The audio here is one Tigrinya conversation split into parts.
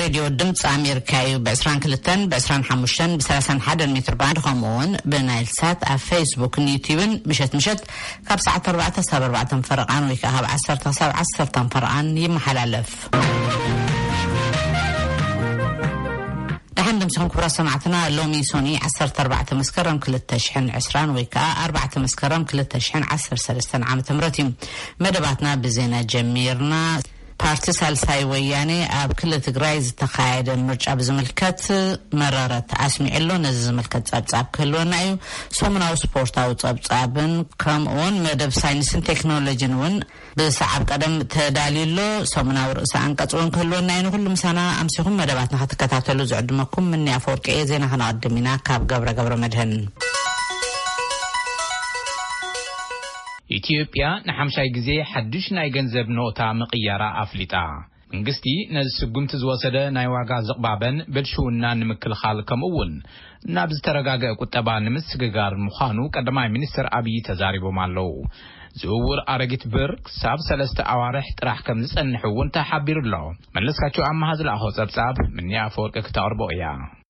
ሬድዮ ድምፂ ኣሜሪካ እዩ። ብ22፣ ብ25፣ ብ31 ሜትር ባንድ፣ ከምኡ እውን ብናይል ሳት ኣብ ፌስቡክን ዩቲዩብን ምሸት ምሸት ካብ ሰዓት ኣርባዕተ ክሳብ ኣርባዕተ ፈረቓን ወይ ከዓ ካብ ዓሰርተ ክሳብ ዓሰርተ ፈረቓን ይመሓላለፍ። ደሓን ደምሲኹም ክቡራት ሰማዕትና። ሎሚ ሶኒ ዓሰርተ ኣርባዕተ መስከረም ክልተ ሽሕን ዕስራን ወይ ከዓ ኣርባዕተ መስከረም ክልተ ሽሕን ዓሰርተ ሰለስተን ዓመተ ምህረት እዩ። መደባትና ብዜና ጀሚርና። ፓርቲ ሳልሳይ ወያኔ ኣብ ክልል ትግራይ ዝተኻየደ ምርጫ ብዝምልከት መረረት ኣስሚዑ ኣሎ። ነዚ ዝምልከት ጸብጻብ ክህልወና እዩ። ሰሙናዊ ስፖርታዊ ጸብጻብን ከምኡውን መደብ ሳይንስን ቴክኖሎጂን እውን ብሰዓብ ቀደም ተዳልዩ ኣሎ። ሰሙናዊ ርእሰ ኣንቀጽ እውን ክህልወና እዩ። ንኹሉ ምሳና ኣምሲኹም መደባትና ክትከታተሉ ዝዕድመኩም ምኒ ኣፈወርቂ እየ። ዜና ከነቐድም ኢና ካብ ገብረ ገብረ መድህን። ኢትዮጵያ ንሓምሻይ ግዜ ሓድሽ ናይ ገንዘብ ኖታ ምቕያራ ኣፍሊጣ። መንግስቲ ነዚ ስጉምቲ ዝወሰደ ናይ ዋጋ ዝቕባበን ብልሽውናን ንምክልኻል፣ ከምኡ እውን ናብ ዝተረጋገአ ቁጠባ ንምስግጋር ምዃኑ ቀዳማይ ሚኒስትር ኣብይ ተዛሪቦም ኣለዉ። ዝውውር ኣረጊት ብር ክሳብ ሰለስተ ኣዋርሕ ጥራሕ ከም ዝጸንሕ እውን ተሓቢሩ ኣሎ። መለስካቸው ኣማሃ ዝለኣኾ ጸብጻብ ምንያ ኣፈወርቂ ክተቕርቦ እያ።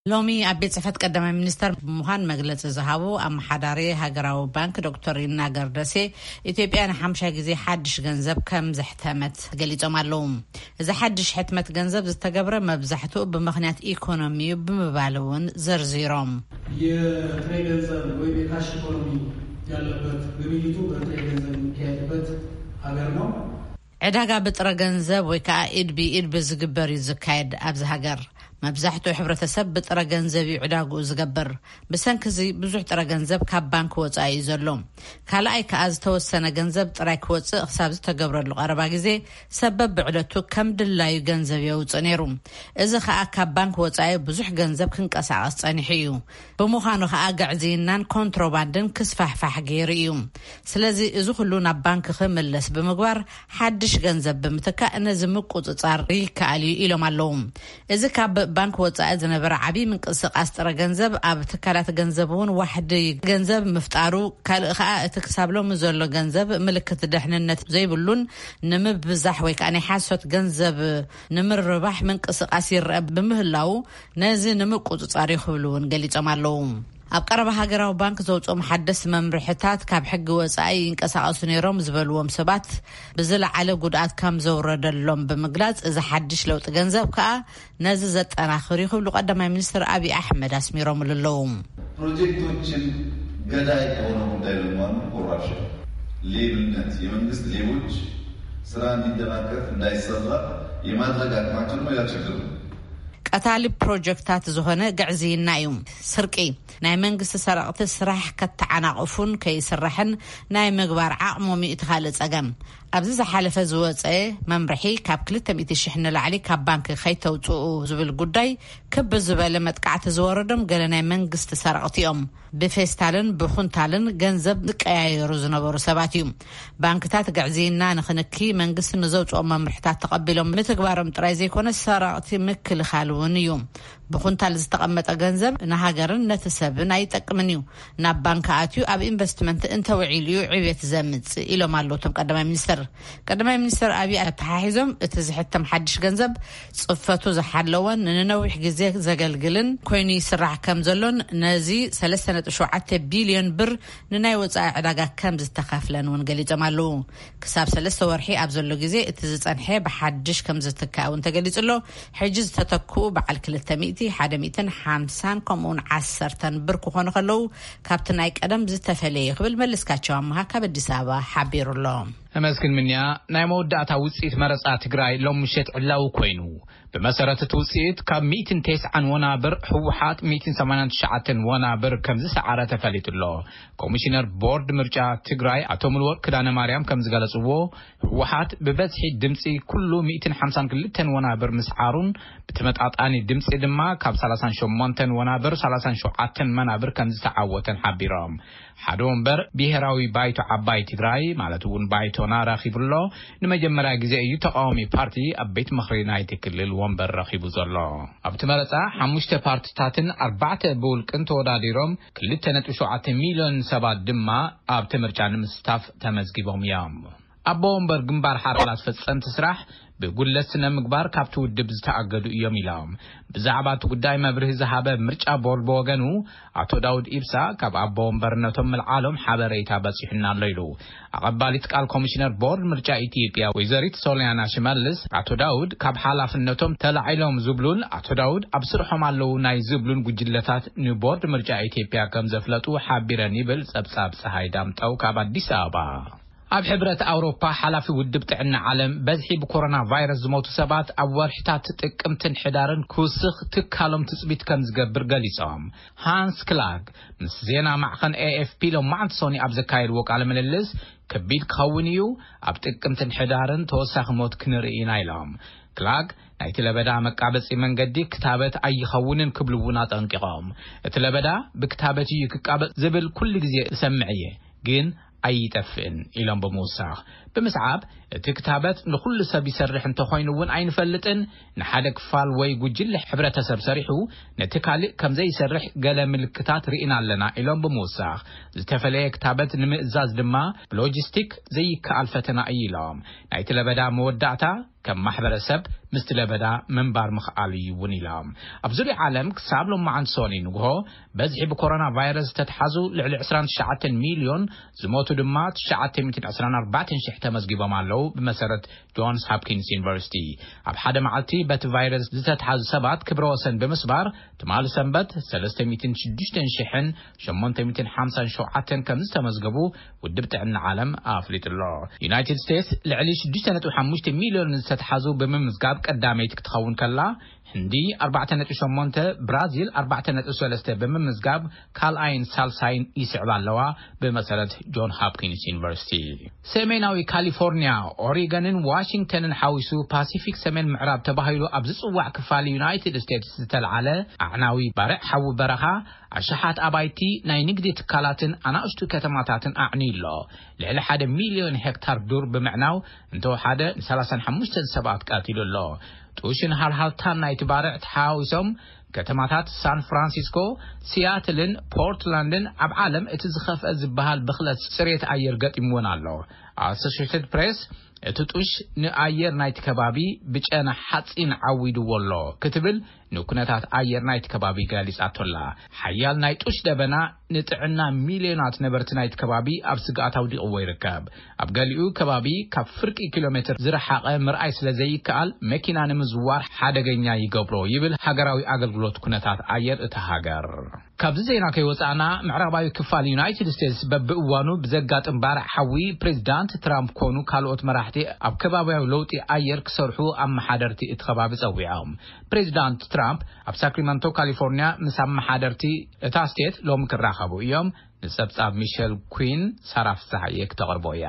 ሎሚ ኣብ ቤት ጽሕፈት ቀዳማይ ሚኒስተር ብምዃን መግለጺ ዝሃቡ ኣመሓዳሪ ሃገራዊ ባንክ ዶክተር ይናገር ደሴ፣ ኢትዮጵያ ንሓምሻይ ግዜ ሓድሽ ገንዘብ ከም ዘሕተመት ገሊጾም ኣለዉ። እዚ ሓድሽ ሕትመት ገንዘብ ዝተገብረ መብዛሕትኡ ብምኽንያት ኢኮኖሚ እዩ ብምባል እውን ዘርዚሮም። የጥሬ ገንዘብ ወይም የካሽ ኢኮኖሚ ያለበት ግብይቱ በጥሬ ገንዘብ የሚካሄድበት ሀገር ነው። ዕዳጋ ብጥረ ገንዘብ ወይ ከዓ ኢድ ብኢድ ብዝግበር እዩ ዝካየድ። ኣብዚ ሃገር መብዛሕትኡ ሕብረተሰብ ብጥረ ገንዘብ እዩ ዕዳግኡ ዝገብር። ብሰንኪ እዚ ብዙሕ ጥረ ገንዘብ ካብ ባንክ ወፃኢ እዩ ዘሎ። ካልኣይ ከዓ ዝተወሰነ ገንዘብ ጥራይ ክወፅእ ክሳብ ዝተገብረሉ ቀረባ ግዜ ሰብ በብዕለቱ ከም ድላዩ ገንዘብ የውፅእ ነይሩ። እዚ ከዓ ካብ ባንክ ወፃኢ ብዙሕ ገንዘብ ክንቀሳቐስ ፀኒሑ እዩ። ብምዃኑ ከዓ ግዕዝይናን ኮንትሮባንድን ክስፋሕፋሕ ገይሩ እዩ። ስለዚ እዚ ኩሉ ናብ ባንክ ክምለስ ብምግባር ሓድሽ ገንዘብ ብምትካእ ነዚ ምቁፅፃር ይከኣል እዩ ኢሎም ኣለዉ። እዚ ካብ ባንክ ወፃኢ ዝነበረ ዓብዪ ምንቅስቃስ ጥረ ገንዘብ ኣብ ትካላት ገንዘብ እውን ዋሕዲ ገንዘብ ምፍጣሩ፣ ካልእ ከዓ እቲ ክሳብ ሎሚ ዘሎ ገንዘብ ምልክት ደሕንነት ዘይብሉን ንምብዛሕ ወይ ከዓ ናይ ሓሶት ገንዘብ ንምርባሕ ምንቅስቃስ ይረአ ብምህላዉ ነዚ ንምቁፅፃር እዩ ክብሉ እውን ገሊፆም ኣለዉ። ኣብ ቀረባ ሃገራዊ ባንክ ዘውፅኦም ሓደስቲ መምርሕታት ካብ ሕጊ ወፃኢ ይንቀሳቐሱ ነይሮም ዝበልዎም ሰባት ብዝለዓለ ጉድኣት ከም ዘውረደሎም ብምግላፅ፣ እዚ ሓድሽ ለውጢ ገንዘብ ከዓ ነዚ ዘጠናኽር እዩ ክብሉ ቀዳማይ ሚኒስትር ኣብይ ኣሕመድ ኣስሚሮምሉ ኣለዉ። ፕሮጀክቶችን ገዳይ ከሆነ ጉዳይ ለማኑ ኮራፕሽን፣ ሌብነት፣ የመንግስት ሌቦች ስራ እንዲደናቀፍ እንዳይሰራ የማድረግ አቅማቸው ነው ያ ችግር ነው። ቀታሊ ፕሮጀክታት ዝኾነ ግዕዝይና እዩ። ስርቂ፣ ናይ መንግስቲ ሰረቕቲ ስራሕ ከተዓናቕፉን ከይስራሕን ናይ ምግባር ዓቕሞም እዩ እቲ ካልእ ጸገም። ኣብዚ ዝሓለፈ ዝወጸ መምርሒ ካብ ክልተ ሚእቲ ሽሕ ንላዕሊ ካብ ባንክ ከይተውጽኡ ዝብል ጉዳይ ክብ ዝበለ መጥቃዕቲ ዝወረዶም ገለ ናይ መንግስቲ ሰረቕቲ እዮም። ብፌስታልን ብኹንታልን ገንዘብ ዝቀያየሩ ዝነበሩ ሰባት እዩ። ባንክታት ግዕዝይና ንክንኪ መንግስቲ ንዘውፅኦ መምርሕታት ተቐቢሎም ምትግባሮም ጥራይ ዘይኮነ ሰረቕቲ ምክልኻል እውን እዩ። ብኹንታል ዝተቐመጠ ገንዘብ ንሃገርን ነቲ ሰብን ኣይጠቅምን እዩ። ናብ ባንክ ኣትዩ ኣብ ኢንቨስትመንት እንተውዒሉ እዩ ዕብየት ዘምፅእ ኢሎም ኣለዉ እቶም ቀዳማይ ሚኒስትር። ቀዳማይ ሚኒስትር ኣብይ ኣተሓሒዞም እቲ ዝሕተም ሓድሽ ገንዘብ ፅፈቱ ዝሓለወን ንነዊሕ ግዜ ዘገልግልን ኮይኑ ይስራሕ ከም ዘሎን ነዚ ሰለስተ ነጥቢ ሸውዓተ ቢልዮን ብር ንናይ ወፃኢ ዕዳጋ ከም ዝተኸፍለን እውን ገሊፆም ኣለዉ። ክሳብ ሰለስተ ወርሒ ኣብ ዘሎ ግዜ እቲ ዝፀንሐ ብሓድሽ ከም ዝትካእ እውን ተገሊፁ ኣሎ። ሕጂ ዝተተክኡ በዓል ክልተ ሚእቲ፣ ሓደ ሚእትን ሓምሳን ከምኡውን ዓሰርተን ብር ክኾኑ ከለዉ ካብቲ ናይ ቀደም ዝተፈለየ ክብል መለስካቸው ኣምሃ ካብ ኣዲስ ኣበባ ሓቢሩ ኣሎ። ኣመስግን ምንያ። ናይ መወዳእታ ውፅኢት መረፃ ትግራይ ሎም ምሸት ዕላዊ ኮይኑ። ብመሰረት እቲ ውፅኢት ካብ ሚእትን ተስዓን ወናብር ህወሓት ሚእትን ሰማንያን ትሽዓተን ወናብር ከም ዝሰዓረ ተፈሊጡ ኣሎ። ኮሚሽነር ቦርድ ምርጫ ትግራይ ኣቶ ሙሉወርቅ ክዳነ ማርያም ከም ዝገለፅዎ፣ ህወሓት ብበዝሒ ድምፂ ኩሉ ሚእትን ሓምሳን ክልተን ወናብር ምስዓሩን ብተመጣጣኒ ድምፂ ድማ ካብ ሰላሳን ሸሞንተን ወናብር ሰላሳን ሸውዓተን መናብር ከም ዝተዓወተን ሓቢሮም። ሓደ ወንበር ብሄራዊ ባይቶ ዓባይ ትግራይ ማለት እውን ባይቶና ረኺቡ ኣሎ። ንመጀመርያ ግዜ እዩ ተቃዋሚ ፓርቲ ኣብ ቤት ምኽሪ ናይቲ ክልል ወንበር ረኺቡ ዘሎ። ኣብቲ መረፃ ሓሙሽተ ፓርቲታትን ኣርባዕተ ብውልቅን ተወዳዲሮም ክልተ ነጥቢ ሸውዓተ ሚልዮን ሰባት ድማ ኣብቲ ምርጫ ንምስታፍ ተመዝጊቦም እዮም። ኣቦ ወንበር ግንባር ሓራ ኣባላት ፈፀምቲ ስራሕ ብጉድለት ስነ ምግባር ካብቲ ውድብ ዝተኣገዱ እዮም ኢሎም። ብዛዕባ እቲ ጉዳይ መብርሂ ዝሃበ ምርጫ ቦርድ ብወገኑ፣ ኣቶ ዳውድ ኢብሳ ካብ ኣቦ ወንበርነቶም ምልዓሎም ሓበሬታ በጺሑና ኣሎ ኢሉ። ኣቐባሊት ቃል ኮሚሽነር ቦርድ ምርጫ ኢትዮጵያ ወይዘሪት ሶሊያና ሽመልስ፣ ኣቶ ዳውድ ካብ ሓላፍነቶም ተላዒሎም ዝብሉን ኣቶ ዳውድ ኣብ ስርሖም ኣለዉ ናይ ዝብሉን ጉጅለታት ንቦርድ ምርጫ ኢትዮጵያ ከም ዘፍለጡ ሓቢረን ይብል ጸብጻብ ጸሃይ ዳምጠው ካብ ኣዲስ ኣበባ። ኣብ ሕብረት ኣውሮፓ ሓላፊ ውድብ ጥዕና ዓለም፣ በዝሒ ብኮሮና ቫይረስ ዝሞቱ ሰባት ኣብ ወርሕታት ጥቅምትን ሕዳርን ክውስኽ ትካሎም ትጽቢት ከም ዝገብር ገሊጾም። ሃንስ ክላግ ምስ ዜና ማዕኸን ኤ ኤፍ ፒ ሎማዓንቲ ሶኒ ኣብ ዘካየድዎ ቃለ ምልልስ፣ ከቢድ ክኸውን እዩ፣ ኣብ ጥቅምትን ሕዳርን ተወሳኺ ሞት ክንርኢ ኢና ኢሎም። ክላግ ናይቲ ለበዳ መቃበጺ መንገዲ ክታበት ኣይኸውንን ክብሉ እውን ኣጠንቂቖም። እቲ ለበዳ ብክታበት እዩ ክቃበጽ ዝብል ኩሉ ግዜ እሰምዕ እየ፣ ግን ኣይጠፍእን ኢሎም ብምውሳኽ፣ ብምስዓብ እቲ ክታበት ንኹሉ ሰብ ይሰርሕ እንተኾይኑ እውን ኣይንፈልጥን፣ ንሓደ ክፋል ወይ ጉጅለ ሕብረተሰብ ሰሪሑ ነቲ ካልእ ከም ዘይሰርሕ ገለ ምልክታት ርኢና ኣለና ኢሎም ብምውሳኽ፣ ዝተፈለየ ክታበት ንምእዛዝ ድማ ብሎጂስቲክ ዘይከኣል ፈተና እዩ ኢሎም። ናይቲ ለበዳ መወዳእታ ከም ማሕበረሰብ ምስቲ ለበዳ ምንባር ምኽኣል እዩ እውን ኢሎም። ኣብ ዙርያ ዓለም ክሳብ ሎማዓንቲ ሶኒ ንግሆ በዝሒ ብኮሮና ቫይረስ ዝተትሓዙ ልዕሊ ዕስራን ትሽዓተን ሚልዮን፣ ዝሞቱ ድማ ትሽዓተ ሚእትን ዕስራን ኣርባዕተን ሽሕ ተመዝጊቦም ኣለዉ። ብመሰረት ጆንስ ሆፕኪንስ ዩኒቨርሲቲ፣ ኣብ ሓደ መዓልቲ በቲ ቫይረስ ዝተትሓዙ ሰባት ክብረ ወሰን ብምስባር፣ ትማሊ ሰንበት ሰለስተ ሚእትን ሽዱሽተን ሽሕን ሸሞንተ ሚእትን ሓምሳን ሸውዓተን ከም ዝተመዝገቡ ውድብ ጥዕና ዓለም ኣፍሊጡ ኣሎ። ዩናይትድ ስቴትስ ልዕሊ ሽዱሽተ ነጥቢ ሓሙሽተ ሚልዮን ዝተትሓዙ ብምምዝጋብ ቀዳመይቲ ክትኸውን ከላ፣ ህንዲ ኣርባዕተ ነጥቢ ሸሞንተ፣ ብራዚል ኣርባዕተ ነጥቢ ሰለስተ ብምምዝጋብ ካልኣይን ሳልሳይን ይስዕባ ኣለዋ። ብመሰረት ጆን ሆፕኪንስ ዩኒቨርሲቲ፣ ሰሜናዊ ካሊፎርኒያ፣ ኦሪገንን ዋሽንግተንን ሓዊሱ ፓሲፊክ ሰሜን ምዕራብ ተባሂሉ ኣብ ዝጽዋዕ ክፋል ዩናይትድ ስቴትስ ዝተልዓለ ኣዕናዊ ባርዕ ሓዊ በረኻ፣ ኣሽሓት ኣባይቲ፣ ናይ ንግዲ ትካላትን ኣናእሽቱ ከተማታትን ኣዕንዩ ኣሎ። ልዕሊ ሓደ ሚልዮን ሄክታር ዱር ብምዕናው እንተወሓደ ንሰላሳን ሓሙሽተን ሰባት ቀቲሉ ኣሎ። ጡሽን ሃልሃልታን ናይቲ ባርዕ ተሓዋዊሶም፣ ከተማታት ሳን ፍራንሲስኮ፣ ሲያትልን ፖርትላንድን ኣብ ዓለም እቲ ዝኸፍአ ዝበሃል ብኽለት ጽሬት ኣየር ገጢምወን ኣሎ። ኣሶሽየትድ ፕሬስ፣ እቲ ጡሽ ንኣየር ናይቲ ከባቢ ብጨና ሓጺን ዓዊድዎ ኣሎ ክትብል ንኩነታት ኣየር ናይቲ ከባቢ ገሊጻቶ ኣላ። ሓያል ናይ ጡሽ ደበና ንጥዕና ሚልዮናት ነበርቲ ናይቲ ከባቢ ኣብ ስግኣት ኣውዲቕዎ ይርከብ። ኣብ ገሊኡ ከባቢ ካብ ፍርቂ ኪሎ ሜትር ዝረሓቐ ምርኣይ ስለ ዘይከኣል፣ መኪና ንምዝዋር ሓደገኛ ይገብሮ ይብል ሃገራዊ ኣገልግሎት ኩነታት ኣየር እታ ሃገር። ካብዚ ዜና ከይወጻእና፣ ምዕራባዊ ክፋል ዩናይትድ ስቴትስ በብእዋኑ ብዘጋጥም ባርዕ ሓዊ፣ ፕሬዚዳንት ትራምፕ ኮኑ ካልኦት መራሕቲ ኣብ ከባቢያዊ ለውጢ ኣየር ክሰርሑ ኣመሓደርቲ እቲ ከባቢ ጸዊዖም። ፕሬዚዳንት ትራምፕ ኣብ ሳክሪመንቶ ካሊፎርኒያ ምስ ኣመሓደርቲ እታ ስቴት ሎሚ ክራኸቡ እዮም። ንጸብጻብ ሚሸል ኩን ሳራ ፍስሓየ ክተቕርቦ እያ።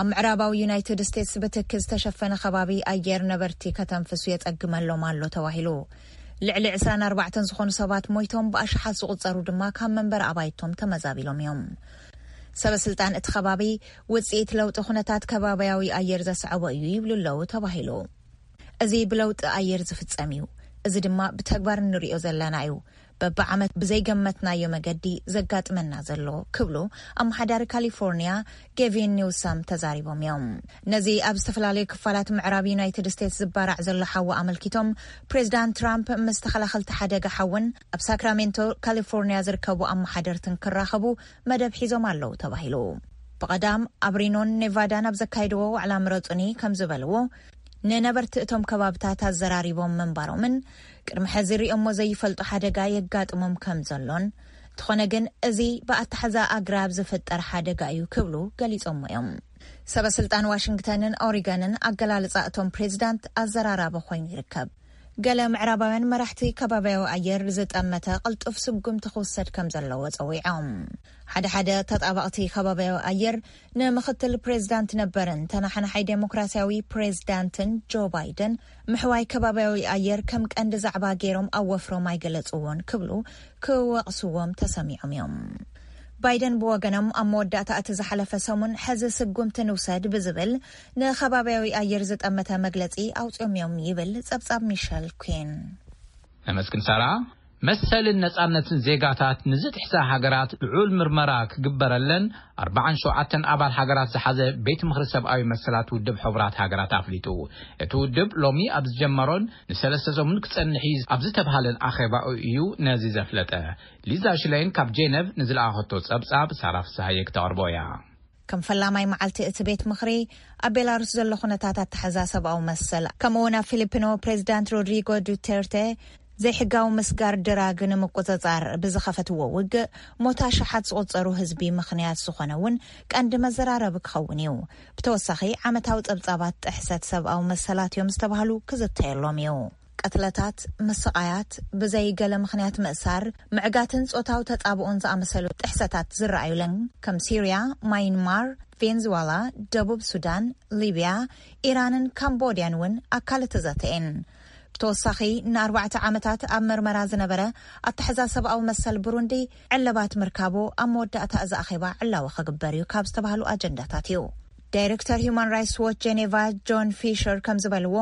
ኣብ ምዕራባዊ ዩናይትድ ስቴትስ ብትኪ ዝተሸፈነ ከባቢ ኣየር ነበርቲ ከተንፍሱ የጸግመሎም ኣሎ ተባሂሉ። ልዕሊ ዕስራን ኣርባዕተን ዝኾኑ ሰባት ሞይቶም፣ ብኣሽሓት ዝቑጸሩ ድማ ካብ መንበሪ ኣባይቶም ተመዛቢሎም እዮም። ሰበ ስልጣን እቲ ከባቢ፣ ውጽኢት ለውጢ ኩነታት ከባቢያዊ ኣየር ዘስዐቦ እዩ ይብሉ ኣለዉ ተባሂሉ። እዚ ብለውጢ ኣየር ዝፍጸም እዩ። እዚ ድማ ብተግባር እንርእዮ ዘለና እዩ። በብዓመት ብዘይገመትናዮ መገዲ ዘጋጥመና ዘሎ፣ ክብሉ ኣመሓዳሪ ካሊፎርኒያ ጌቪን ኒውሰም ተዛሪቦም እዮም። ነዚ ኣብ ዝተፈላለዩ ክፋላት ምዕራብ ዩናይትድ ስቴትስ ዝባራዕ ዘሎ ሓዊ ኣመልኪቶም፣ ፕሬዚዳንት ትራምፕ ምስ ተኸላኸልቲ ሓደጋ ሓውን ኣብ ሳክራሜንቶ ካሊፎርኒያ ዝርከቡ ኣመሓደርትን ክራኸቡ መደብ ሒዞም ኣለዉ ተባሂሉ። ብቐዳም ኣብ ሪኖን ኔቫዳን ኣብ ዘካየድዎ ዋዕላ ምረጹኒ ከም ዝበልዎ፣ ንነበርቲ እቶም ከባብታት ኣዘራሪቦም ምንባሮምን ቅድሚ ሕዚ ሪኦሞ ዘይፈልጡ ሓደጋ የጋጥሞም ከም ዘሎን፣ እንተኾነ ግን እዚ ብኣተሓዛ ኣግራብ ዝፍጠር ሓደጋ እዩ ክብሉ ገሊጾሞ እዮም። ሰበ ስልጣን ዋሽንግተንን ኦሪገንን ኣገላልጻ እቶም ፕሬዚዳንት ኣዘራራቢ ኮይኑ ይርከብ። ገለ ምዕራባውያን መራሕቲ ከባቢያዊ ኣየር ዝጠመተ ቅልጡፍ ስጉምቲ ክውሰድ ከም ዘለዎ ጸዊዖም። ሓደ ሓደ ተጣባቕቲ ከባቢያዊ ኣየር ንምኽትል ፕሬዚዳንት ነበርን ተናሓናሓይ ዴሞክራሲያዊ ፕሬዚዳንትን ጆ ባይደን ምሕዋይ ከባቢያዊ ኣየር ከም ቀንዲ ዛዕባ ገይሮም ኣወፍሮም ኣይገለጽዎን ክብሉ ክወቕስዎም ተሰሚዖም እዮም። ባይደን ብወገኖም ኣብ መወዳእታ እቲ ዝሓለፈ ሰሙን ሕዚ ስጉምቲ ንውሰድ ብዝብል ንከባቢያዊ ኣየር ዝጠመተ መግለጺ ኣውጺኦም እዮም ይብል ጸብጻብ ሚሸል ኩን። ነመስግን ሳራ። መሰልን ነጻነትን ዜጋታት ንዝጥሕሳ ሃገራት ልዑል ምርመራ ክግበረለን ኣርባዓን ሸውዓተን ኣባል ሃገራት ዝሓዘ ቤት ምኽሪ ሰብኣዊ መሰላት ውድብ ሕቡራት ሃገራት ኣፍሊጡ። እቲ ውድብ ሎሚ ኣብ ዝጀመሮን ንሰለስተ ሰሙን ክጸንሕ እዩ ኣብ ዝተብሃለን ኣኼባኡ እዩ ነዚ ዘፍለጠ። ሊዛ ሽለይን ካብ ጄነቭ ንዝለኣኸቶ ጸብጻብ ሳራ ፍስሃየ ክተቕርቦ እያ። ከም ፈላማይ መዓልቲ እቲ ቤት ምኽሪ፣ ኣብ ቤላሩስ ዘሎ ኩነታት ኣተሓዛ ሰብኣዊ መሰል፣ ከምኡ እውን ኣብ ፊሊፒኖ ፕሬዚዳንት ሮድሪጎ ዱቴርቴ ዘይሕጋዊ ምስጋር ድራግ ንምቁጽጻር ብዝኸፈትዎ ውግእ፣ ሞት ኣሽሓት ዝቑጸሩ ህዝቢ ምኽንያት ዝኾነ እውን ቀንዲ መዘራረቢ ክኸውን እዩ። ብተወሳኺ፣ ዓመታዊ ጸብጻባት ጥሕሰት ሰብኣዊ መሰላት እዮም ዝተባህሉ ክዝተየሎም እዩ። ቅትለታት፣ ምስቓያት፣ ብዘይ ገለ ምኽንያት ምእሳር፣ ምዕጋትን ጾታዊ ተጻብኦን ዝኣመሰሉ ጥሕሰታት ዝረኣዩለን፣ ከም ሲርያ፣ ማይንማር፣ ቬንዙዋላ፣ ደቡብ ሱዳን፣ ሊብያ፣ ኢራንን ካምቦድያን እውን ኣካል እቲ ዘተ እየን። ብተወሳኺ፣ ንኣርባዕተ ዓመታት ኣብ መርመራ ዝነበረ ኣተሓዛ ሰብኣዊ መሰል ብሩንዲ ዕለባት ምርካቡ ኣብ መወዳእታ እዚ ኣኼባ ዕላዊ ክግበር እዩ ካብ ዝተባህሉ ኣጀንዳታት እዩ። ዳይሬክተር ሂዩማን ራይትስ ዎች ጄኔቫ ጆን ፊሸር ከም ዝበልዎ፣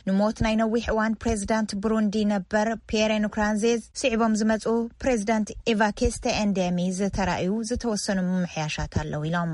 ንሞት ናይ ነዊሕ እዋን ፕሬዚዳንት ብሩንዲ ነበር ፒየረ ንኩራንዜዝ ስዒቦም ዝመፁ ፕሬዚዳንት ኤቫኬስተ ኤንዴሚ ዝተራእዩ ዝተወሰኑ ምምሕያሻት ኣለዉ ኢሎም።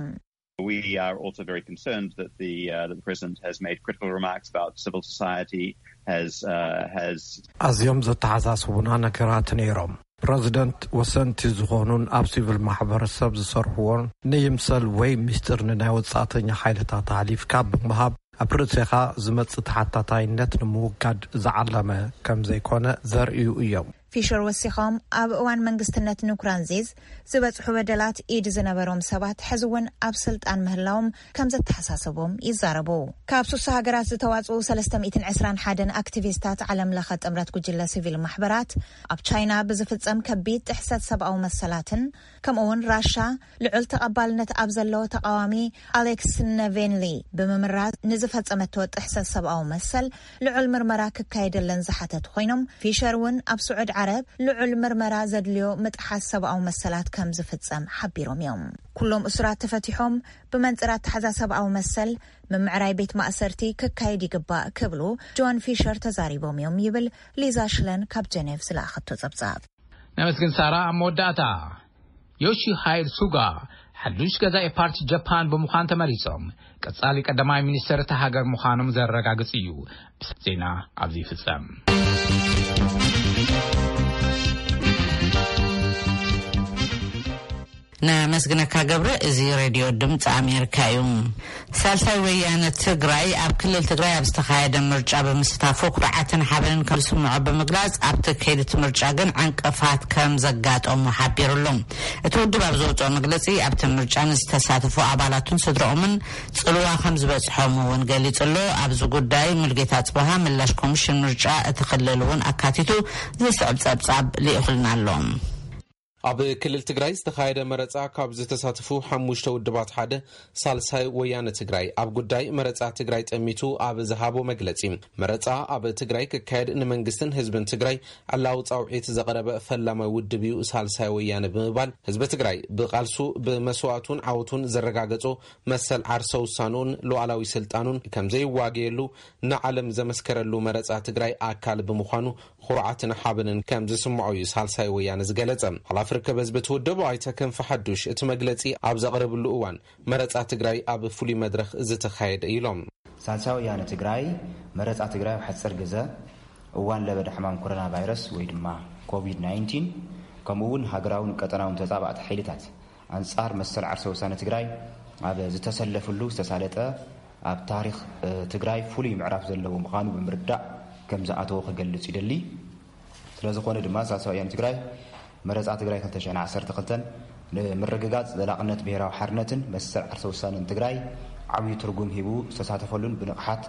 We are also very concerned that the, uh, that the president has made critical remarks about civil society, has uh, has ኣዝዮም ዘተሓሳስቡና ነገራት ነይሮም። ፕረዚደንት ወሰንቲ ዝኾኑን ኣብ ሲቪል ማሕበረሰብ ዝሰርሕዎን ንይምሰል ወይ ምስጢር ንናይ ወጻእተኛ ሓይልታት ኣሕሊፍካ ብምሃብ ኣብ ርእሴኻ ዝመጽእ ተሓታታይነት ንምውጋድ ዝዓለመ ከም ዘይኮነ ዘርእዩ እዮም። ፊሸር ወሲኾም፣ ኣብ እዋን መንግስትነት ንኩራንዚዝ ዝበጽሑ በደላት ኢድ ዝነበሮም ሰባት ሕዚ እውን ኣብ ስልጣን ምህላዎም ከም ዘተሓሳሰቦም ይዛረቡ። ካብ ሱሳ ሃገራት ዝተዋጽኡ ሰለስተ ሚእትን ዕስራን ሓደን ኣክቲቪስታት ዓለም ለኸ ጥምረት ጉጅለ ሲቪል ማሕበራት ኣብ ቻይና ብዝፍጸም ከቢድ ጥሕሰት ሰብኣዊ መሰላትን ከምኡ እውን ራሻ ልዑል ተቐባልነት ኣብ ዘለዎ ተቓዋሚ ኣሌክስ ነቬንሊ ብምምራዝ ንዝፈጸመቶ ጥሕሰት ሰብኣዊ መሰል ልዑል ምርመራ ክካየደለን ዝሓተቱ ኮይኖም፣ ፊሸር እውን ኣብ ስዑድ ዓረብ ልዑል ምርመራ ዘድልዮ ምጥሓስ ሰብኣዊ መሰላት ከም ዝፍጸም ሓቢሮም እዮም። ኩሎም እሱራት ተፈቲሖም ብመንጽር ኣተሓዛ ሰብኣዊ መሰል ምምዕራይ ቤት ማእሰርቲ ክካየድ ይግባእ ክብሉ ጆን ፊሸር ተዛሪቦም እዮም ይብል ሊዛ ሽለን ካብ ጀኔቭ ዝለኣኸቶ ጸብጻብ። ነመስግን ሳራ። ኣብ መወዳእታ፣ ዮሺሃይድ ሱጋ ሓዱሽ ገዛኢ ፓርቲ ጃፓን ብምዃን ተመሪጾም ቀጻሊ ቀዳማይ ሚኒስተር እታ ሃገር ምዃኖም ዘረጋግጽ እዩ። ዜና ኣብዚ ይፍጸም። ነመስግነካ ገብረ። እዚ ሬድዮ ድምፂ ኣሜሪካ እዩ። ሳልሳይ ወያነ ትግራይ ኣብ ክልል ትግራይ ኣብ ዝተኻየደ ምርጫ ብምስታፉ ኩርዓትን ሓበንን ከም ዝስምዖ ብምግላፅ፣ ኣብቲ ከይዲ እቲ ምርጫ ግን ዕንቅፋት ከም ዘጋጠሙ ሓቢሩ ኣሎ። እቲ ውድብ ኣብ ዘውፅኦ መግለፂ፣ ኣብቲ ምርጫ ንዝተሳተፉ ኣባላቱን ስድረኦምን ፅልዋ ከም ዝበፅሖም እውን ገሊፁ ኣሎ። ኣብዚ ጉዳይ ሙልጌታ ፅበሃ ምላሽ ኮሚሽን ምርጫ እቲ ክልል እውን ኣካቲቱ ዝስዕብ ፀብፃብ ልኢኹልና ኣሎ። ኣብ ክልል ትግራይ ዝተኻየደ መረፃ ካብ ዝተሳተፉ ሓሙሽተ ውድባት ሓደ ሳልሳይ ወያነ ትግራይ ኣብ ጉዳይ መረፃ ትግራይ ጠሚቱ ኣብ ዝሃቦ መግለፂ፣ መረፃ ኣብ ትግራይ ክካየድ ንመንግስትን ህዝብን ትግራይ ዕላዊ ፃውዒት ዘቕረበ ፈላማይ ውድብ እዩ ሳልሳይ ወያነ ብምባል፣ ህዝቢ ትግራይ ብቓልሱ ብመስዋእቱን ዓወቱን ዘረጋገጾ መሰል ዓርሰ ውሳንኡን ሉዓላዊ ስልጣኑን ከምዘይዋገየሉ ንዓለም ዘመስከረሉ መረፃ ትግራይ ኣካል ብምዃኑ ኩርዓትን ሓበንን ከም ዝስምዖ እዩ ሳልሳይ ወያነ ዝገለጸ። ሓላፊ ርክብ ህዝቢ እቲ ውድብ ኣይተ ክንፈ ሓዱሽ እቲ መግለጺ ኣብ ዘቕርብሉ እዋን፣ መረጻ ትግራይ ኣብ ፍሉይ መድረኽ ዝተኻየደ ኢሎም። ሳልሳይ ወያነ ትግራይ መረጻ ትግራይ ኣብ ሓፂር ግዘ እዋን ለበዳ ሕማም ኮሮና ቫይረስ ወይ ድማ ኮቪድ ናይንቲን ከምኡ እውን ሃገራውን ቀጠናውን ተፃባእቲ ሓይልታት ኣንፃር መሰል ዓርሰ ውሳነ ትግራይ ኣብ ዝተሰለፍሉ ዝተሳለጠ ኣብ ታሪክ ትግራይ ፍሉይ ምዕራፍ ዘለዎ ምዃኑ ብምርዳእ ከም ዝኣተወ ክገልፅ ይደሊ። ስለዝኾነ ድማ ሳልሳይ ወያነ ትግራይ መረፃ ትግራይ ክልተ ሽሕን ዓሰርተ ክልተን ንምርግጋፅ ዘላቕነት ብሄራዊ ሓርነትን መሰል ዓርሰ ውሳነን ትግራይ ዓብዪ ትርጉም ሂቡ ዝተሳተፈሉን ብንቕሓት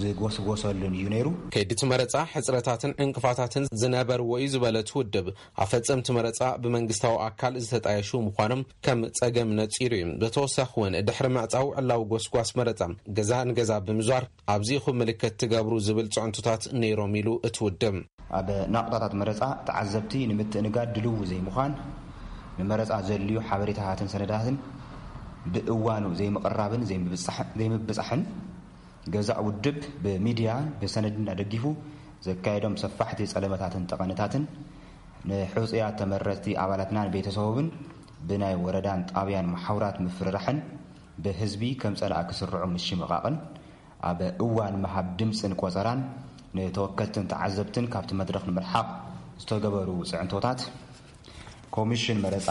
ዝጎስጎሰሉን እዩ ነይሩ። ከይዲ እቲ መረፃ ሕፅረታትን ዕንቅፋታትን ዝነበርዎ እዩ ዝበለ እቲ ውድብ፣ ኣፈፀምቲ መረፃ ብመንግስታዊ ኣካል ዝተጣየሹ ምዃኖም ከም ፀገም ነፂሩ እዩ። ብተወሳኺ እውን ድሕሪ ምዕፃው ዕላዊ ጎስጓስ መረፃ ገዛ ንገዛ ብምዟር ኣብዚ ኢኹም ምልክት ትገብሩ ዝብል ፅዕንቶታት ነይሮም ኢሉ እቲ ውድብ። ኣብ ናቑጣታት መረፃ ተዓዘብቲ ንምትእንጋድ ድልው ዘይምዃን፣ ንመረፃ ዘድልዩ ሓበሬታታትን ሰነዳትን ብእዋኑ ዘይምቕራብን ዘይምብፃሕን፣ ገዛእ ውድብ ብሚድያን ብሰነድን ኣደጊፉ ዘካየዶም ሰፋሕቲ ፀለመታትን ጠቐነታትን ንሕጹያት ተመረጽቲ ኣባላትናን ቤተሰቦምን ብናይ ወረዳን ጣብያን መሓውራት ምፍርራሕን ብህዝቢ ከም ጸላእ ክስርዑ ምሽምቓቕን ኣብ እዋን ምሃብ ድምጽን ቆጸራን ንተወከልትን ተዓዘብትን ካብቲ መድረኽ ንምርሓቕ ዝተገበሩ ጽዕንቶታት ኮሚሽን መረጻ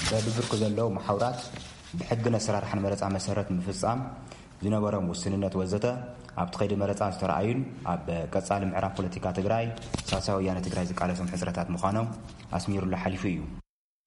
በብብርኩ ዘለዉ መሓውራት ብሕግን ኣሰራርሓን መረጻ መሰረት ምፍጻም ዝነበሮም ውስንነት ወዘተ ኣብቲ ከይዲ መረጻ ዝተረኣዩን ኣብ ቀጻሊ ምዕራፍ ፖለቲካ ትግራይ ሳልሳይ ወያነ ትግራይ ዝቃለሶም ሕጽረታት ምዃኖም ኣስሚሩሉ ሓሊፉ እዩ።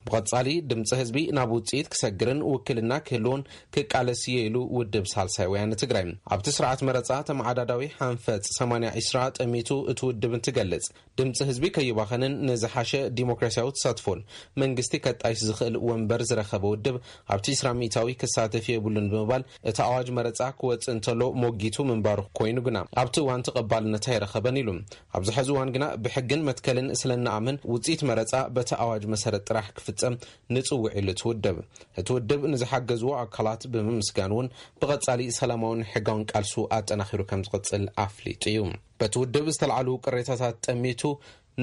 ብቐጻሊ ድምፂ ህዝቢ ናብ ውፅኢት ክሰግርን ውክልና ክህልዎን ክቃለስ እየ ኢሉ ውድብ ሳልሳይ ወያነ ትግራይ። ኣብቲ ስርዓት መረፃ ተመዓዳዳዊ ሓንፈፅ ሰማንያ ዒስራ ጠሚቱ እቲ ውድብ እንትገልፅ፣ ድምፂ ህዝቢ ከይባኸንን ንዝሓሸ ዲሞክራሲያዊ ተሳትፎን መንግስቲ ከጣይሽ ዝኽእል ወንበር ዝረኸበ ውድብ ኣብቲ ዒስራ ሚእታዊ ክሳተፍ የብሉን ብምባል እቲ ኣዋጅ መረፃ ክወፅእ እንተሎ ሞጊቱ ምንባሩ ኮይኑ ግና ኣብቲ እዋን ተቐባልነት ኣይረኸበን ኢሉ። ኣብዚ ሕዚ እዋን ግና ብሕግን መትከልን ስለ እንኣምን ውፅኢት መረፃ በቲ ኣዋጅ መሰረት ጥራሕ ክፍፀም ንፅውዕ ኢሉ እቲ ውድብ። እቲ ውድብ ንዝሓገዝዎ ኣካላት ብምምስጋን እውን ብቐፃሊ ሰላማውን ሕጋውን ቃልሱ ኣጠናኺሩ ከም ዝቕፅል ኣፍሊጡ እዩ። በቲ ውድብ ዝተልዓሉ ቅሬታታት ጠሚቱ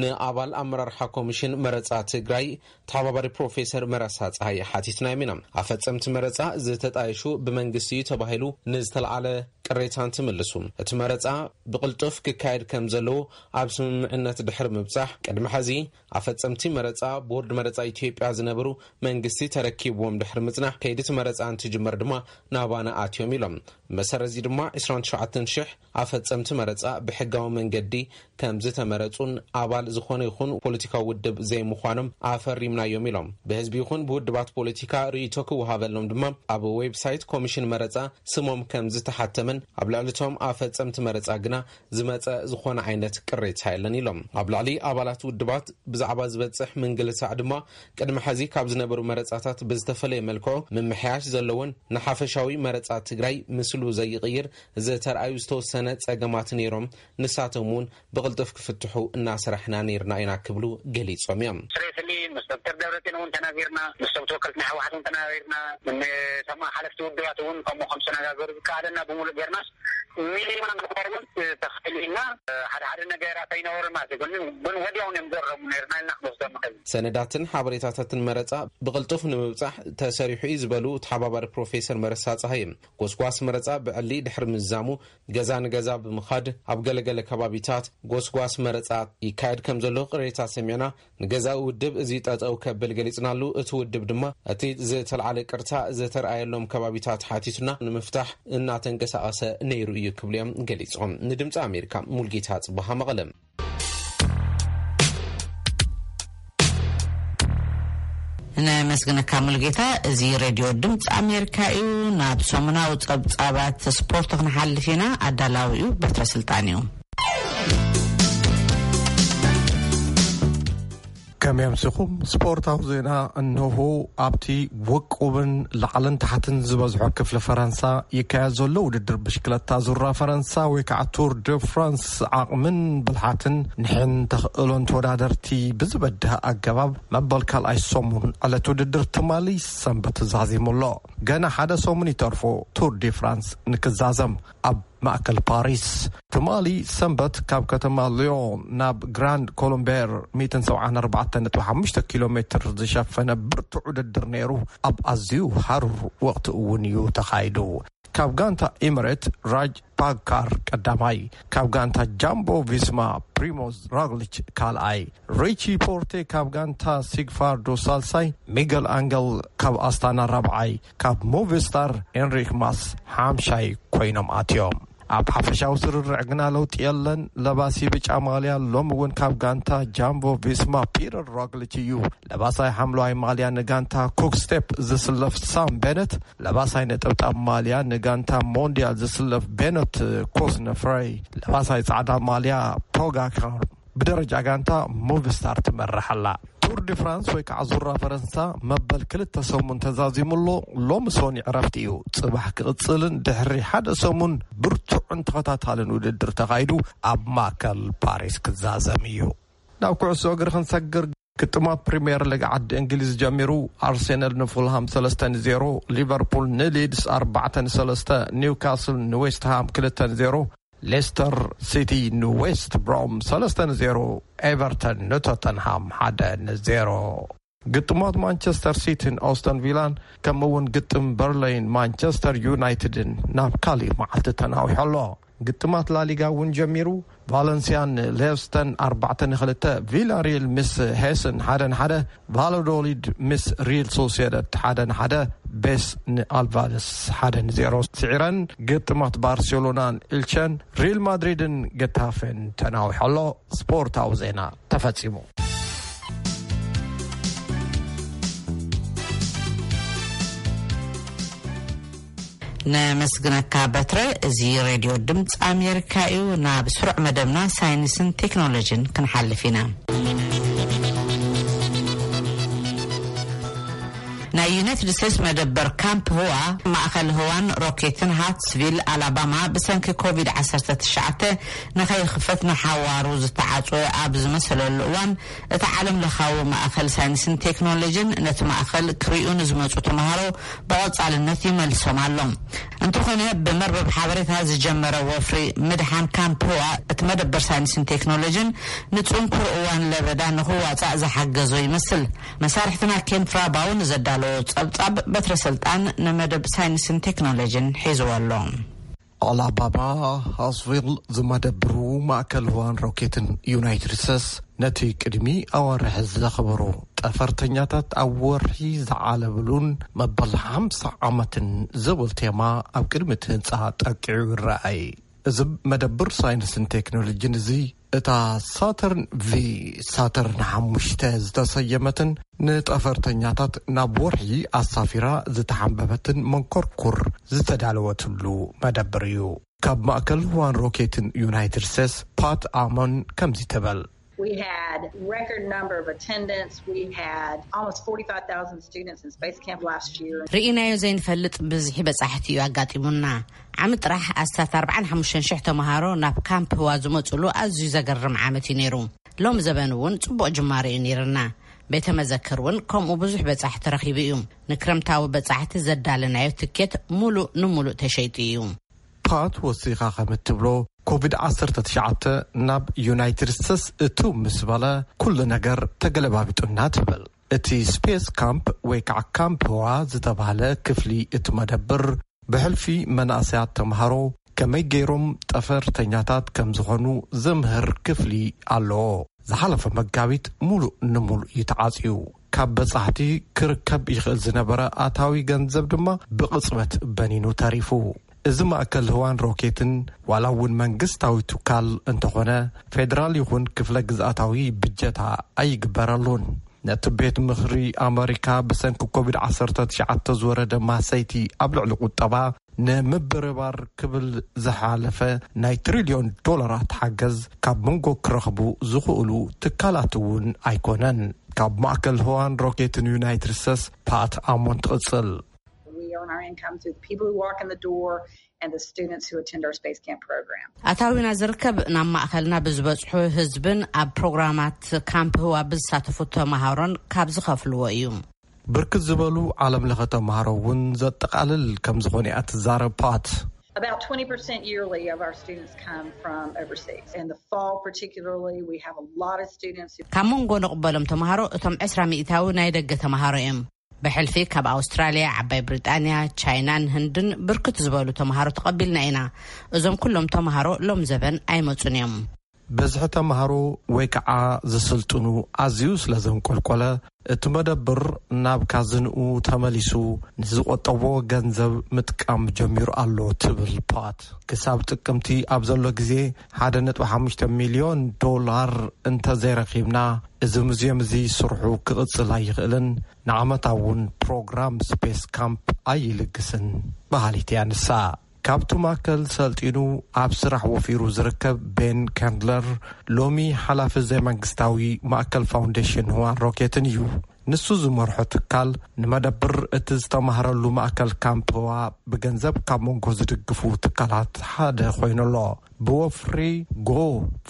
ንኣባል ኣመራርሓ ኮሚሽን መረፃ ትግራይ ተሓባባሪ ፕሮፌሰር መረሳ ፀሃየ ሓቲትናዮም ኢና። ኣፈፀምቲ መረፃ ዝተጣየሹ ብመንግስቲ እዩ ተባሂሉ ንዝተልዓለ ቅሬታ እንትምልሱ፣ እቲ መረፃ ብቕልጡፍ ክካየድ ከም ዘለዎ ኣብ ስምምዕነት ድሕሪ ምብፃሕ፣ ቅድሚ ሕዚ ኣፈፀምቲ መረፃ ቦርድ መረፃ ኢትዮጵያ ዝነበሩ መንግስቲ ተረኪብዎም ድሕሪ ምፅናሕ፣ ከይዲ እቲ መረፃ እንትጅመር ድማ ናባና ኣትዮም ኢሎም። መሰረት እዚ ድማ ዒስራን ትሽዓተን ሽሕ ኣፈፀምቲ መረፃ ብሕጋዊ መንገዲ ከም ዝተመረፁን ኣባል ዝኾነ ይኹን ፖለቲካዊ ውድብ ዘይምዃኖም ኣፈሪምናዮም ኢሎም። ብህዝቢ ይኹን ብውድባት ፖለቲካ ርእይቶ ክወሃበሎም ድማ ኣብ ዌብሳይት ኮሚሽን መረፃ ስሞም ከም ዝተሓተመን ኣብ ልዕሊ እቶም ኣፈፀምቲ መረፃ ግና ዝመፀ ዝኾነ ዓይነት ቅሬታ የለን ኢሎም። ኣብ ልዕሊ ኣባላት ውድባት ብዛዕባ ዝበፅሕ ምንግልታዕ ድማ ቅድሚ ሕዚ ካብ ዝነበሩ መረፃታት ብዝተፈለየ መልክዑ ምምሕያሽ ዘለዎን ንሓፈሻዊ መረፃ ትግራይ ምስሉ ዘይቕይር ዝተርኣዩ ዝተወሰነ ፀገማት ነይሮም፣ ንሳቶም እውን ብቕልጡፍ ክፍትሑ እናሰራሕና ነይርና ኢና ክብሉ ገሊፆም እዮም። ስሬስሊ ምስ ዶክተር ደብረፅዮን እውን ተናጊርና፣ ምስ ተወከልቲ ናይ ህወሓት እውን ተናጊርና፣ ንሰማ ሓለፍቲ ውድባት እውን ከምኡ ከም ዝተነጋገሩ ዝከኣለና ብምሉእ ጌርናስ ሚኒማም ሪኳርመንት ተኽእል ኢልና ሓደ ሓደ ነገራት ኣይነበሩ ማለት እዩ። ግን ግን ወዲያውን እዮም ዘረሙ ነይርና ኢልና ክንወስዶ ንኽእል። ሰነዳትን ሓበሬታታትን መረፃ ብቕልጡፍ ንምብፃሕ ተሰሪሑ እዩ ዝበሉ ተሓባባሪ ፕሮፌሰር መረሳ ፀሃየ፣ ጎስጓስ መረፃ ብዕሊ ድሕሪ ምዝዛሙ ገዛ ንገዛ ብምኻድ ኣብ ገለገለ ከባቢታት ጎስጓስ መረፃ ይካየድ ከም ዘሎ ቅሬታ ሰሚዕና፣ ንገዛኢ ውድብ እዚ ጠጠው ከብል ገሊፅናሉ። እቲ ውድብ ድማ እቲ ዝተልዓለ ቅርታ ዝተርኣየሎም ከባቢታት ሓቲቱና ንምፍታሕ እናተንቀሳቐሰ ነይሩ እዩ ክብሉ እዮም ገሊፆም። ንድምፂ ኣሜሪካ ሙልጌታ ፅባሃ መቐለ። ነመስግነካ ሙልጌታ። እዚ ሬድዮ ድምፂ ኣሜሪካ እዩ። ናብ ሰሙናዊ ፀብፃባት ስፖርት ክንሓልፍ ኢና። ኣዳላዊ እዩ በትረ ስልጣን እዩ። ከመይ ኣምሲኹም? ስፖርታዊ ዜና እንሆ። ኣብቲ ውቁብን ላዕልን ታሕትን ዝበዝሖ ክፍሊ ፈረንሳ ይካየድ ዘሎ ውድድር ብሽክለታ ዙራ ፈረንሳ ወይ ከዓ ቱር ደ ፍራንስ ዓቕምን ብልሓትን ንሕን ተኽእሎን ተወዳደርቲ ብዝበድህ ኣገባብ መበል ካልኣይ ሰሙን ዕለት ውድድር ትማሊ ሰንበት ተዛዚሙ ኣሎ። ገና ሓደ ሰሙን ይተርፎ ቱር ዲ ፍራንስ ንክዛዘም። ኣብ ማእከል ፓሪስ ትማሊ ሰንበት ካብ ከተማ ሊዮን ናብ ግራንድ ኮሎምቤር ሚእትን ሰብዓን ኣርባዕተን ነጥቢ ሓሙሽተ ኪሎ ሜትር ዝሸፈነ ብርቱዕ ውድድር ነይሩ። ኣብ ኣዝዩ ሃሩር ወቕቲ እውን እዩ ተኻይዱ። ካብ ጋንታ ኤምሬት ራጅ ፓካር ቀዳማይ፣ ካብ ጋንታ ጃምቦ ቪስማ ፕሪሞዝ ሮግሊች ካልኣይ፣ ሪቺ ፖርቴ ካብ ጋንታ ሲግፋርዶ ሳልሳይ፣ ሚገል ኣንገል ካብ ኣስታና ራብዓይ፣ ካብ ሞቪስታር ኤንሪክ ማስ ሓምሻይ ኮይኖም ኣትዮም። ኣብ ሓፈሻዊ ስርርዕ ግና ለውጢ የለን። ለባሲ ብጫ ማልያ ሎሚ እውን ካብ ጋንታ ጃምቦ ቪስማ ፒተር ሮግሊች እዩ። ለባሳይ ሓምለዋይ ማልያ ንጋንታ ኩክ ስቴፕ ዝስለፍ ሳም ቤነት፣ ለባሳይ ነጠብጣብ ማልያ ንጋንታ ሞንዲያል ዝስለፍ ቤነት ኮስነፍረይ፣ ለባሳይ ጻዕዳ ማልያ ፖጋካር ብደረጃ ጋንታ ሞቪስታር ትመርሕ ኣላ። ቱር ዲ ፍራንስ ወይ ከዓ ዙራ ፈረንሳ መበል ክልተ ሰሙን ተዛዚሙ ኣሎ። ሎሚ ሶኒ ዕረፍቲ እዩ። ጽባሕ ክቕጽልን ድሕሪ ሓደ ሰሙን ብርቱዕን ተኸታታልን ውድድር ተኻይዱ ኣብ ማእከል ፓሪስ ክዛዘም እዩ። ናብ ኩዕሶ እግሪ ክንሰግር፣ ግጥማት ፕሪምየር ሊግ ዓዲ እንግሊዝ ጀሚሩ። ኣርሴናል ንፉልሃም ሰለስተ ንዜሮ፣ ሊቨርፑል ንሊድስ ኣርባዕተ ንሰለስተ፣ ኒውካስል ንዌስትሃም ክልተ ንዜሮ፣ ሌስተር ሲቲ ንዌስት ብሮም ሰለስተ ንዜሮ፣ ኤቨርተን ንቶተንሃም ሓደ ንዜሮ። ግጥማት ማንቸስተር ሲቲን ኦስተን ቪላን፣ ከምኡ እውን ግጥም በርለይን ማንቸስተር ዩናይትድን ናብ ካሊእ መዓልቲ ተናዊሑ ኣሎ። ግጥማት ላሊጋ እውን ጀሚሩ። ቫለንሲያን ሌስተን ኣርባዕተ ንክልተ፣ ቪላሪል ምስ ሄስን ሓደ ንሓደ፣ ቫላዶሊድ ምስ ሪል ሶሴዳድ ሓደ ንሓደ፣ ቤስ ንኣልቫስ ሓደ ንዜሮ ስዒረን። ግጥማት ባርሴሎናን ኢልቸን፣ ሪል ማድሪድን ገታፌን ተናዊሑ ኣሎ። ስፖርታዊ ዜና ተፈጺሙ። ነመስግነካ በትረ። እዚ ሬድዮ ድምፂ ኣሜሪካ እዩ። ናብ ስሩዕ መደብና ሳይንስን ቴክኖሎጂን ክንሓልፍ ኢና። ናይ ዩናይትድ ስቴትስ መደበር ካምፕ ህዋ፣ ማእኸል ህዋን ሮኬትን ሃትስቪል ኣላባማ ብሰንኪ ኮቪድ ዓሰርተ ትሽዓተ ንኸይኽፈት ንሓዋሩ ዝተዓጽወ ኣብ ዝመሰለሉ እዋን፣ እቲ ዓለም ለኻዊ ማእኸል ሳይንስን ቴክኖሎጂን ነቲ ማእኸል ክሪኡ ንዝመጹ ተምሃሮ ብቐጻልነት ይመልሶም ኣሎ። እንተኾነ፣ ብመርበብ ሓበሬታ ዝጀመረ ወፍሪ ምድሓን ካምፕ ህዋ፣ እቲ መደበር ሳይንስን ቴክኖሎጂን ንጽንኩር እዋን ለበዳ ንኽዋጻእ ዝሓገዞ ይመስል። መሳርሕትና ኬን ፍራባው ንዘዳለዎ ጸብጻብ በትረ ስልጣን ንመደብ ሳይንስን ቴክኖሎጂን ሒዝዎ ኣሎ። ኣላባማ ሃስቪል ዝመደብሩ ማእከል ህዋን ሮኬትን ዩናይትድ ስቴትስ፣ ነቲ ቅድሚ ኣዋርሕ ዘኽበሩ ጠፈርተኛታት ኣብ ወርሒ ዝዓለብሉን መበል ሓምሳ ዓመትን ዝብል ቴማ ኣብ ቅድሚ እቲ ህንጻ ጠቂዑ ይረኣይ። እዚ መደብር ሳይንስን ቴክኖሎጂን እዚ፣ እታ ሳተርን ቪ፣ ሳተርን ሓሙሽተ ዝተሰየመትን ንጠፈርተኛታት ናብ ወርሒ ኣሳፊራ ዝተሓንበበትን መንኮርኩር ዝተዳለወትሉ መደብር እዩ። ካብ ማእከል ዋን ሮኬትን ዩናይትድ ስቴትስ ፓት ኣሞን ከምዚ ትብል። We had record number of attendance. We had almost forty-five thousand students in Space Camp last year. ርኢናዮ ዘይንፈልጥ ብዝሒ በጻሕቲ እዩ ኣጋጢሙና። ዓሚ ጥራሕ ኣስታት ኣርባዓን ሓሙሽተን ሽሕ ተምሃሮ ናብ ካምፕ ህዋ ዝመጹሉ ኣዝዩ ዘገርም ዓመት እዩ ነይሩ። ሎም ዘበን እውን ጽቡቕ ጅማሮ እዩ ነይርና። ቤተ መዘክር እውን ከምኡ ብዙሕ በጻሕቲ ረኺቡ እዩ። ንክረምታዊ በጻሕቲ ዘዳለናዮ ትኬት ሙሉእ ንሙሉእ ተሸይጡ እዩ። ፓት ወሲኻ ከም እትብሎ፣ ኮቪድ ዓሰርተ ትሽዓተ ናብ ዩናይትድ ስቴትስ እቱ ምስ በለ፣ ኩሉ ነገር ተገለባቢጡና ትብል። እቲ ስፔስ ካምፕ ወይ ከዓ ካምፕ ህዋ ዝተባህለ ክፍሊ እቲ መደብር፣ ብሕልፊ መናእሰያት ተምሃሮ ከመይ ገይሮም ጠፈርተኛታት ከም ዝኾኑ ዘምህር ክፍሊ ኣለዎ። ዝሓለፈ መጋቢት ሙሉእ ንሙሉእ እዩ ተዓጽዩ። ካብ በጻሕቲ ክርከብ ይኽእል ዝነበረ ኣታዊ ገንዘብ ድማ ብቕጽበት በኒኑ ተሪፉ። እዚ ማእከል ህዋን ሮኬትን፣ ዋላ እውን መንግስታዊ ትካል እንተኾነ፣ ፌደራል ይኹን ክፍለ ግዝኣታዊ ብጀታ ኣይግበረሉን። ነቲ ቤት ምኽሪ ኣመሪካ ብሰንኪ ኮቪድ ዓሰርተ ትሽዓተ ዝወረደ ማሰይቲ ኣብ ልዕሊ ቁጠባ ንምብርባር ክብል ዝሓለፈ ናይ ትሪልዮን ዶላራት ሓገዝ ካብ መንጎ ክረኽቡ ዝኽእሉ ትካላት እውን ኣይኮነን። ካብ ማእከል ህዋን ሮኬትን ዩናይትድ ስቴትስ ፓት ኣሞን ትቕጽል። We earn our income through the people who walk in the door and the students who attend our space camp program. ኣታዊና ዝርከብ ናብ ማእከልና ብዝበጽሑ ህዝብን ኣብ ፕሮግራማት ካምፕ ህዋ ብዝሳተፉ ተምሃሮን ካብ ዝኸፍልዎ እዩ። ብርክት ዝበሉ ዓለም ለኸ ተምሃሮ እውን ዘጠቓልል ከም ዝኾነ እያ ትዛረብ ፓት። About twenty percent yearly of our students come from overseas. In the fall particularly, we have a lot of students who ካብ መንጎ ንቕበሎም ተምሃሮ እቶም ዕስራ ሚእታዊ ናይ ደገ ተምሃሮ እዮም። ብሕልፊ ካብ ኣውስትራልያ፣ ዓባይ ብሪጣንያ፣ ቻይናን ህንድን ብርክት ዝበሉ ተምሃሮ ተቐቢልና ኢና። እዞም ኩሎም ተምሃሮ ሎም ዘበን ኣይመጹን እዮም። ብዝሒ ተምሃሮ ወይ ከዓ ዝስልጥኑ ኣዝዩ ስለ ዘንቆልቆለ፣ እቲ መደብር ናብ ካዝንኡ ተመሊሱ ንዝቆጠቦ ገንዘብ ምጥቃም ጀሚሩ ኣሎ ትብል ፓት። ክሳብ ጥቅምቲ ኣብ ዘሎ ግዜ ሓደ ነጥቢ ሓሙሽተ ሚልዮን ዶላር እንተዘይረኺብና፣ እዚ ሙዝየም እዚ ስርሑ ክቕጽል ኣይኽእልን፣ ንዓመታ እውን ፕሮግራም ስፔስ ካምፕ ኣይልግስን በሃሊት እያ ንሳ። ካብቲ ማእከል ሰልጢኑ ኣብ ስራሕ ወፊሩ ዝርከብ ቤን ካንድለር፣ ሎሚ ሓላፊ ዘይመንግስታዊ ማእከል ፋውንዴሽን ህዋን ሮኬትን እዩ። ንሱ ዝመርሖ ትካል ንመደብር እቲ ዝተማህረሉ ማእከል ካምፕ ህዋ ብገንዘብ ካብ መንጎ ዝድግፉ ትካላት ሓደ ኮይኑ ኣሎ። ብወፍሪ ጎ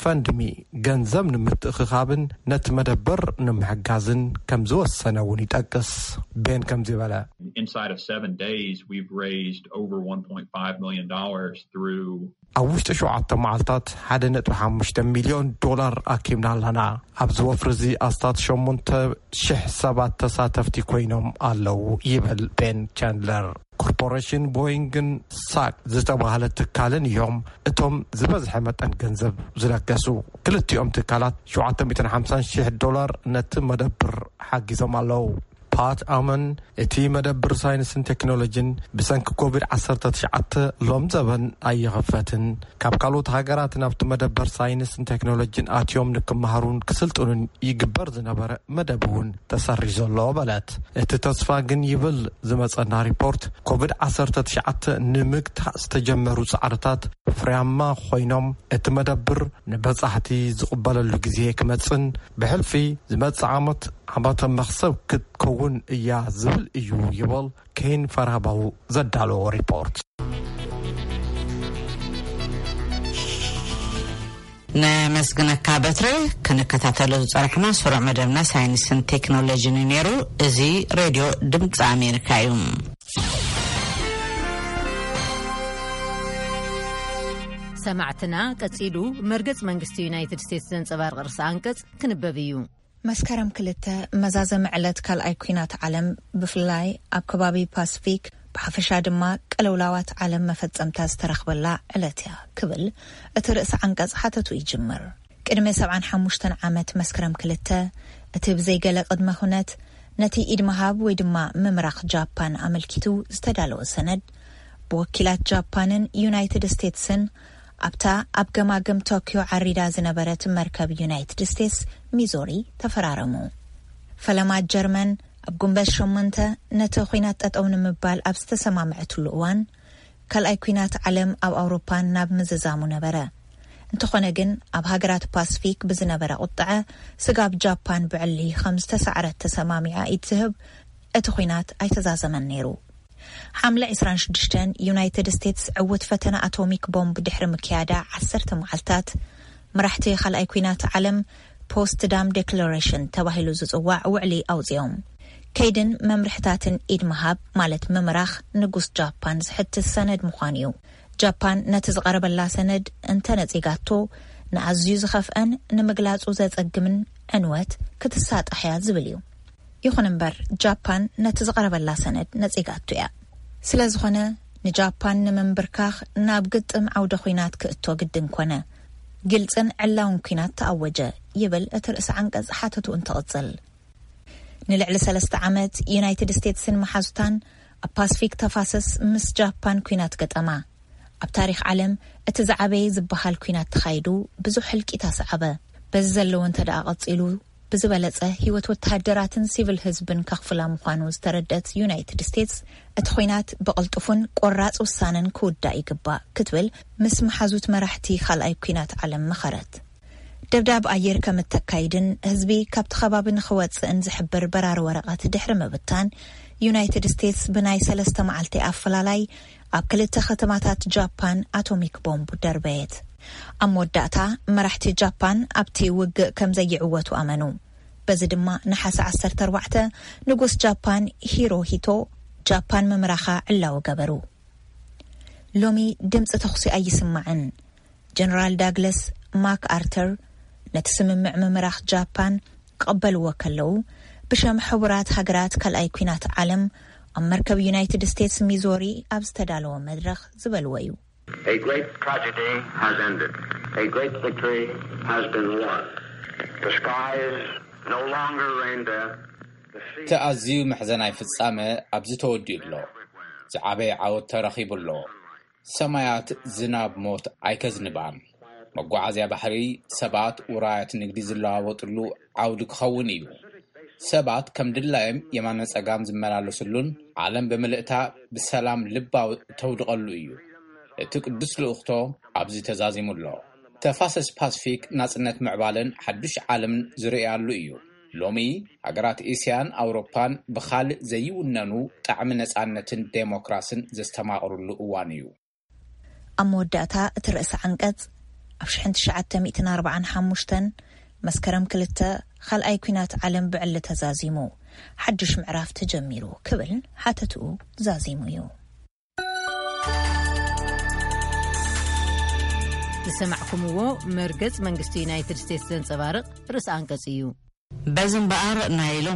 ፈንድሚ ገንዘብ ንምትእኽኻብን ነቲ መደበር ንምሕጋዝን ከም ዝወሰነ እውን ይጠቅስ። ቤን ከምዚ በለ። Inside of seven days, we've raised over one point five million dollars through ኣብ ውሽጢ ሸውዓተ መዓልታት ሓደ ነጥቢ ሓሙሽተ ሚልዮን ዶላር ኣኪብና ኣለና። ኣብዚ ወፍሪ እዚ ኣስታት ሸሞንተ ሽሕ ሰባት ተሳተፍቲ ኮይኖም ኣለዉ ይብል ቤን ቻንድለር። ኮርፖሬሽን ቦይንግን ሳክ ዝተባህለ ትካልን እዮም እቶም ዝበዝሐ መጠን ገንዘብ ዝለገሱ። ክልቲኦም ትካላት ሸውዓተ ሚእትን ሓምሳን ሽሕ ዶላር ነቲ መደብር ሓጊዞም ኣለዉ። ፓት ኣመን፣ እቲ መደብር ሳይንስን ቴክኖሎጂን ብሰንኪ ኮቪድ ዓሰርተ ትሽዓተ ሎም ዘበን ኣይኸፈትን። ካብ ካልኦት ሃገራት ናብቲ መደበር ሳይንስን ቴክኖሎጂን ኣትዮም ንክመሃሩን ክስልጥኑን ይግበር ዝነበረ መደብ እውን ተሰሪዙ ኣሎ በለት። እቲ ተስፋ ግን ይብል ዝመጸና ሪፖርት፣ ኮቪድ ዓሰርተ ትሽዓተ ንምግታእ ዝተጀመሩ ጻዕርታት ፍርያማ ኮይኖም፣ እቲ መደብር ንበጻሕቲ ዝቕበለሉ ግዜ ክመጽን ብሕልፊ ዝመጽእ ዓመት ዓመተ መኽሰብ ክትከውን እያ ዝብል እዩ ይብል ኬን ፈራባው ዘዳለዎ ሪፖርት። ነመስግነካ በትረ። ክንከታተሎ ዝጸናሕና ስሩዕ መደብና ሳይንስን ቴክኖሎጂን እዩ ነይሩ። እዚ ሬድዮ ድምፂ ኣሜሪካ እዩ። ሰማዕትና፣ ቀጺሉ መርገጽ መንግስቲ ዩናይትድ ስቴትስ ዘንጸባርቕ ርእሰ ኣንቀጽ ክንበብ እዩ። መስከረም ክልተ መዛዘሚ ዕለት ካልኣይ ኲናት ዓለም፣ ብፍላይ ኣብ ከባቢ ፓስፊክ፣ ብሓፈሻ ድማ ቅልውላዋት ዓለም መፈጸምታ ዝተረኽበላ ዕለት እያ ክብል እቲ ርእሰ ዓንቀጽ ሓተቱ ይጅምር። ቅድሚ ሰብዓን ሓሙሽተን ዓመት መስከረም ክልተ፣ እቲ ብዘይገለ ቅድመ ኩነት ነቲ ኢድ ምሃብ ወይ ድማ ምምራኽ ጃፓን ኣመልኪቱ ዝተዳለወ ሰነድ፣ ብወኪላት ጃፓንን ዩናይትድ ስቴትስን ኣብታ ኣብ ገማግም ቶኪዮ ዓሪዳ ዝነበረት መርከብ ዩናይትድ ስቴትስ ሚዞሪ ተፈራረሙ። ፈለማ ጀርመን ኣብ ጉንበት ሸሞንተ ነቲ ኲናት ጠጠው ንምባል ኣብ ዝተሰማምዐትሉ እዋን፣ ካልኣይ ኲናት ዓለም ኣብ ኣውሮፓን ናብ ምዝዛሙ ነበረ። እንተኾነ ግን፣ ኣብ ሃገራት ፓስፊክ ብዝነበረ ቁጥዐ፣ ስጋብ ጃፓን ብዕሊ ከም ዝተሳዕረት ተሰማሚዓ ኢድ ትህብ፣ እቲ ኲናት ኣይተዛዘመን ነይሩ። ሓምለ ዕስራን ሽዱሽተን፣ ዩናይትድ ስቴትስ ዕውት ፈተነ ኣቶሚክ ቦምብ ድሕሪ ምክያዳ ዓሰርተ መዓልታት፣ መራሕቲ ካልኣይ ኲናት ዓለም ፖስት ዳም ዴክለሬሽን ተባሂሉ ዝጽዋዕ ውዕሊ ኣውጺኦም። ከይድን መምርሕታትን ኢድ ምሃብ፣ ማለት ምምራኽ፣ ንጉስ ጃፓን ዝሕትት ሰነድ ምዃኑ እዩ። ጃፓን ነቲ ዝቐረበላ ሰነድ እንተ ነጺጋቶ፣ ንኣዝዩ ዝኸፍአን ንምግላጹ ዘጸግምን ዕንወት ክትሳጣሕ እያ ዝብል እዩ። ይኹን እምበር፣ ጃፓን ነቲ ዝቐረበላ ሰነድ ነጺጋቶ እያ። ስለ ዝኾነ፣ ንጃፓን ንምንብርካኽ ናብ ግጥም ዓውደ ኲናት ክእቶ ግድን ኮነ። ግልጽን ዕላውን ኲናት ተኣወጀ፣ ይብል እቲ ርእሰ ዓንቀጽ ሓተቱ እንትቕጽል። ንልዕሊ ሰለስተ ዓመት፣ ዩናይትድ ስቴትስን መሓዙታን ኣብ ፓስፊክ ተፋሰስ ምስ ጃፓን ኲናት ገጠማ። ኣብ ታሪኽ ዓለም እቲ ዝዓበየ ዝበሃል ኲናት ተኻይዱ፣ ብዙሕ ህልቂት ኣስዓበ። በዚ ዘለዎ እንተ ደኣ ቀጺሉ፣ ብዝበለጸ ህይወት ወተሃደራትን ሲቪል ህዝብን ከኽፍላ ምዃኑ ዝተረድአት ዩናይትድ ስቴትስ፣ እቲ ኲናት ብቕልጡፍን ቆራጽ ውሳነን ክውዳእ ይግባእ ክትብል ምስ መሓዙት መራሕቲ ካልኣይ ኲናት ዓለም መኸረት። ደብዳብ ኣየር ከም እተካይድን ህዝቢ ካብቲ ከባቢ ንኽወጽእን ዝሕብር በራሪ ወረቐት ድሕሪ ምብታን፣ ዩናይትድ ስቴትስ ብናይ ሰለስተ መዓልቲ ኣፈላላይ ኣብ ክልተ ከተማታት ጃፓን ኣቶሚክ ቦምብ ደርበየት። ኣብ መወዳእታ፣ መራሕቲ ጃፓን ኣብቲ ውግእ ከም ዘይዕወቱ ኣመኑ። በዚ ድማ፣ ነሓሰ ዓሰርተ ኣርባዕተ፣ ንጉስ ጃፓን ሂሮሂቶ ጃፓን ምምራኻ ዕላዊ ገበሩ። ሎሚ ድምፂ ተኹሲ ኣይስማዕን። ጀነራል ዳግለስ ማክ ኣርተር ነቲ ስምምዕ ምምራኽ ጃፓን ክቕበልዎ ከለዉ፣ ብሸም ሕቡራት ሃገራት ካልኣይ ኲናት ዓለም ኣብ መርከብ ዩናይትድ ስቴትስ ሚዞሪ ኣብ ዝተዳለወ መድረኽ ዝበልዎ እዩ። A great tragedy has ended. A great victory has been won. The skies no longer render the sea. እቲ ኣዝዩ መሕዘናይ ፍጻመ ኣብዚ ተወዲኡ ኣሎ። ዝዓበየ ዓወት ተረኺቡ ኣሎ። ሰማያት ዝናብ ሞት ኣይከዝንባን። መጓዓዝያ ባሕሪ፣ ሰባት፣ ውራያት ንግዲ ዝለዋወጥሉ ዓውዲ ክኸውን እዩ። ሰባት ከም ድላዮም የማነ ጸጋም ዝመላለስሉን ዓለም ብምልእታ ብሰላም ልባዊ ተውድቐሉ እዩ። እቲ ቅዱስ ልኡኽቶ ኣብዚ ተዛዚሙ ኣሎ። ተፋሰስ ፓስፊክ ናጽነት ምዕባለን ሓዱሽ ዓለምን ዝርእያሉ እዩ። ሎሚ ሃገራት ኤስያን ኣውሮፓን ብኻልእ ዘይውነኑ ጣዕሚ ነጻነትን ዴሞክራስን ዘስተማቕርሉ እዋን እዩ። ኣብ መወዳእታ እቲ ርእሲ ዓንቀጽ፣ ኣብ ሽሕን ትሽዓተ ሚእትን ኣርባዓን ሓሙሽተን መስከረም ክልተ ካልኣይ ኲናት ዓለም ብዕሊ ተዛዚሙ፣ ሓድሽ ምዕራፍ ተጀሚሩ ክብል ሓተትኡ ዛዚሙ እዩ። ዝሰማዕኩምዎ መርገጽ መንግስቲ ዩናይትድ ስቴትስ ዘንጸባርቕ ርእሰ ኣንቀጽ እዩ። በዚ እምበኣር ናይ ሎም